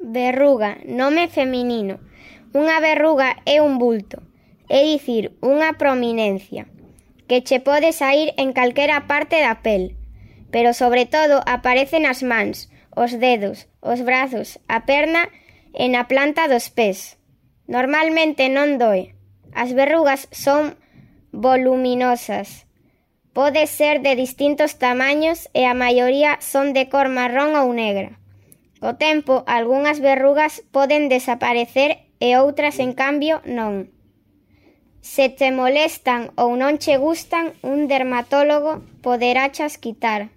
Verruga, nome feminino. Unha verruga é un bulto, é dicir, unha prominencia, que che pode saír en calquera parte da pel, pero sobre todo aparece nas mans, os dedos, os brazos, a perna e na planta dos pés. Normalmente non doe. As verrugas son voluminosas. Pode ser de distintos tamaños e a maioría son de cor marrón ou negra. Co tempo, algunhas verrugas poden desaparecer e outras, en cambio, non. Se te molestan ou non che gustan, un dermatólogo poderachas quitar.